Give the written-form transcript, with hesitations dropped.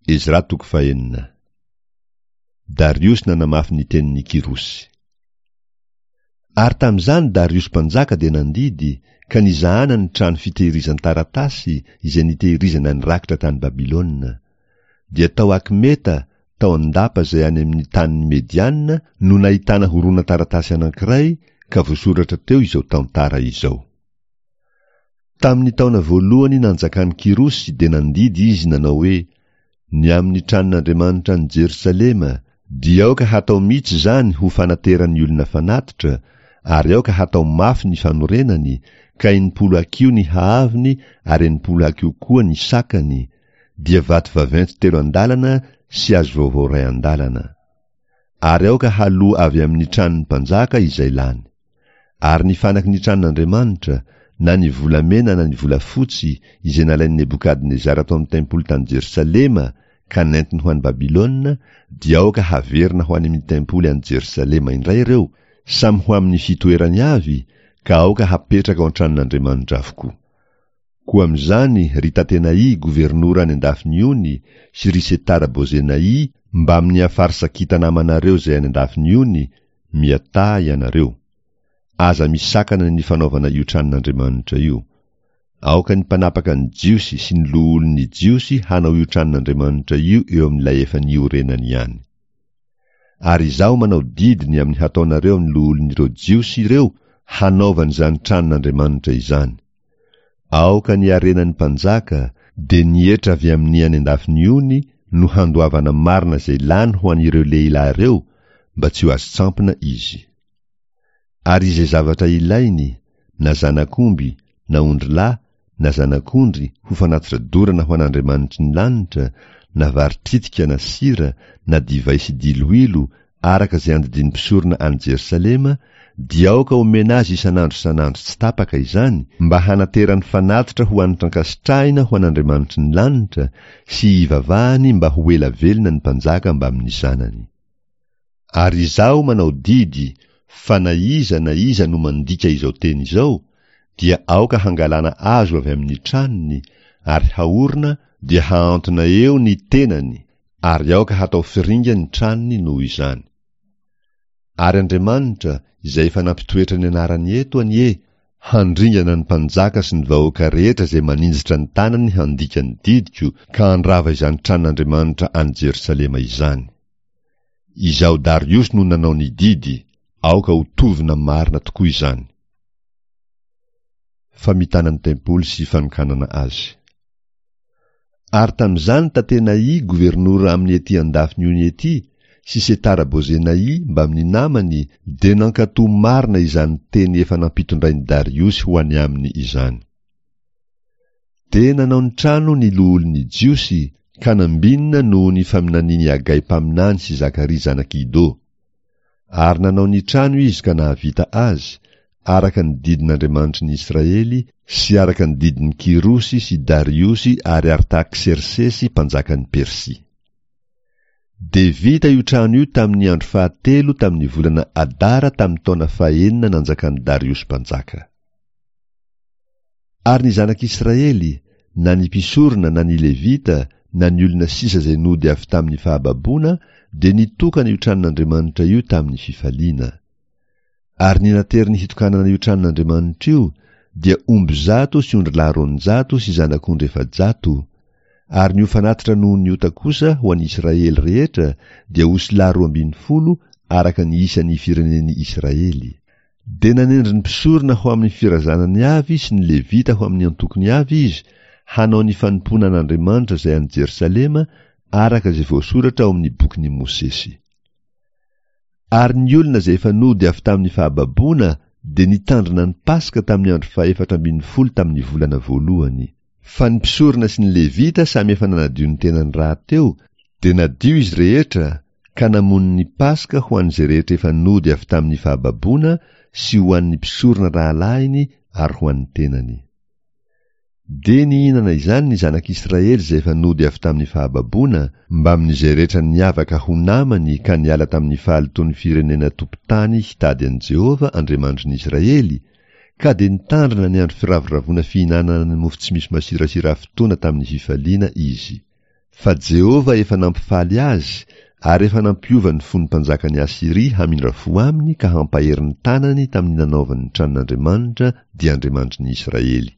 Ezra toko fahenina. Dariosy nanamafy ny tenin'i Kyrosy. Ary tamin'izany Dariosy mpanjaka dia nandidy, ka nizahana ny trano fitehirizan-taratasy izay nitehirizana ny rakitra tany Babylona. Dia tao Akmeta, tao an-dapa izay any amin'ny tanin'ny Mediana, no nahitana horonan-taratasy anankiray, ka voasoratra teo izao tantara izao. Tamin'ny taona voalohany nanjakan'i Kyrosy dia nandidy izy nanao hoe, Ny amin'ny tranon'Andriamanitra any Jerosalema, dia aoka hatao mihitsy izany ho fanateran'ny olona fanatitra, ary aoka hatao mafy ny fanorenany, ka 60 hakiho ny haavony ary 60 hakiho koa ny sakany, dia vato vaventy telo andalana sy hazo vaovao iray andalana. Ary aoka haloa avy amin'ny tranon'ny mpanjaka izay lany. Ary ny fanaky ny tranon'Andriamanitra, na ny volamena na ny volafotsy, izay nalain'i Nebokadnezara tao amin'ny tempoly tany Jerosalema ka nentiny ho any Babylona, dia aoka haverina ho any amin'ny tempoly any Jerosalema indray ireo, samy ho amin'ny fitoerany avy, ka aoka hapetraka ao an-tranon'Andriamanitra avokoa. Koa amin'izany, ry Tatenaì governora any an-dafin'ny ony, sy ry Setara-Bozenaì mbamin'ny Afarsakita namanareo izay any an-dafin'ny ony, miataha ianareo. Aza misakana ny fanaovana io tranon'Andriamanitra io. Aoka ny mpanapaka ny Jiosy sy ny loholon'ny Jiosy hanao io tranon'Andriamanitra io eo amin'ilay efa niorenany ihany. Ary izaho manao didy ny amin'ny hataonareo amin'ny loholon'ireo Jiosy ireo hanaovany izany tranon'Andriamanitra izany. Aoka ny harenan'ny mpanjaka, dia ny hetra avy amin'ny any an-dafin'ny ony, no handoavana marina izay lany ho an'ireo lehilahy ireo, mba tsy ho azon-tsampona izy. Ary izay zavatra ilainy, na zanak'omby, na ondrilahy, na zanak'ondry, ho fanatitra dorana ho an'Andriamanitry ny lanitra, na vary tritika na sira, na divay sy diloilo, araka izay andidian'ny mpisorona any Jerosalema, dia aoka homena azy isan'andro isan'andro tsy tapaka izany, mba hanaterany fanatitra ho hanitra ankasitrahina ho an'Andriamanitry ny lanitra, sy hivavahany mba ho ela velona ny mpanjaka mbamin'ny zanany. Ary izaho manao didy fa na iza na iza no mandika izao teny izao, dia aoka hangalana azo avy amin'ny tranony, ary haorina dia hahantona eo ny tenany, ary aoka hatao firinga ny tranony noho izany. Ary Andriamanitra, izay efa nampitoetra ny anarany eto anie, handringana ny mpanjaka sy ny vahoaka rehetra izay maninjitra ny tanany handika ny didiko ka handrava izany tranon'Andriamanitra any Jerosalema izany. Izaho Dariosy no nanao ny didy, aoka ho tovona marina tokoa izany. Famitana ny tempoly sy fanokanana azy. Ary tamin'izany Tatenaì governora amin'ny ety an-dafin'ny ony ety, sy Setara-Bozenaì mbamin'ny namany dia nankatò marina izany teny efa nampitondrain'i Dariosy ho any aminy izany. Dia nanao ny trano ny loholon'ny Jiosy ka nambinina noho ny faminanian'i Hagay mpaminany sy Zakaria zanak'i Ido. Ary nanao ny trano izy ka nahavita azy, araka ny didin'Andriamanitry ny Israely sy araka ny didin'i Kyrosy sy Dariosy ary Artaksersesy mpanjakan'i Persia. Dia vita io trano io tamin'ny andro fahatelo tamin'ny volana Adara tamin'ny taona fahenina nanjakan'i Dariosy mpanjaka. Ary ny zanak'Israely, na ny mpisorona na ny Levita na ny olona sisa izay nody avy tamin'ny fahababoana dia nitokana io tranon'Andriamanitra io tamin'ny fifaliana. Ary ny nateriny hitokanana io tranon'Andriamanitra io dia omby zato sy ondrilahy 200 sy zanak'ondry 400, ary ny ho fanatitra noho ny ota kosa ho an'i Israely rehetra dia osilahy 12 araka ny isan'ny firenen'i Israely. Dia nanendry ny mpisorona ho amin'ny firazanany avy sy ny Levita ho amin'ny antokony avy izy hanao ny fanompoana an'Andriamanitra izay any Jerosalema araka izay voasoratra ao amin'ny bokin'i Mosesy. Ary ny olona izay efa nody avy tamin'ny fahababoana dia nitandrina ny Paska tamin'ny andro fahefatra ambin'ny folo tamin'ny volana voalohany. Fa ny mpisorona sy ny Levita samy efa nanadio ny tenany rahateo, dia nadio izy rehetra, ka namono ny Paska ho an'izay rehetra efa nody avy tamin'ny fahababoana sy ho an'ny mpisorona rahalahiny ary ho an'ny tenany. Dia nihinana izany ny zanak'Israely izay efa nody avy tamin'ny fahababoana, mbamin'izay rehetra niavaka ho namany ka niala tamin'ny fahalotoan'ny firenena tompon-tany hitady an'i Jehovah Andriamanitry ny Israely, ka dia nitandrina ny andro firavoravoana fihinanana ny mofo tsy misy masirasira fotoana tamin'ny fifaliana izy. Fa Jehovah efa nampifaly azy ary efa nampiova ny fon'ny mpanjakan'i Asyria hamindra fo aminy ka hampahery ny tanany tamin'ny nanaovany ny tranon'Andriamanitra dia Andriamanitry ny Israely.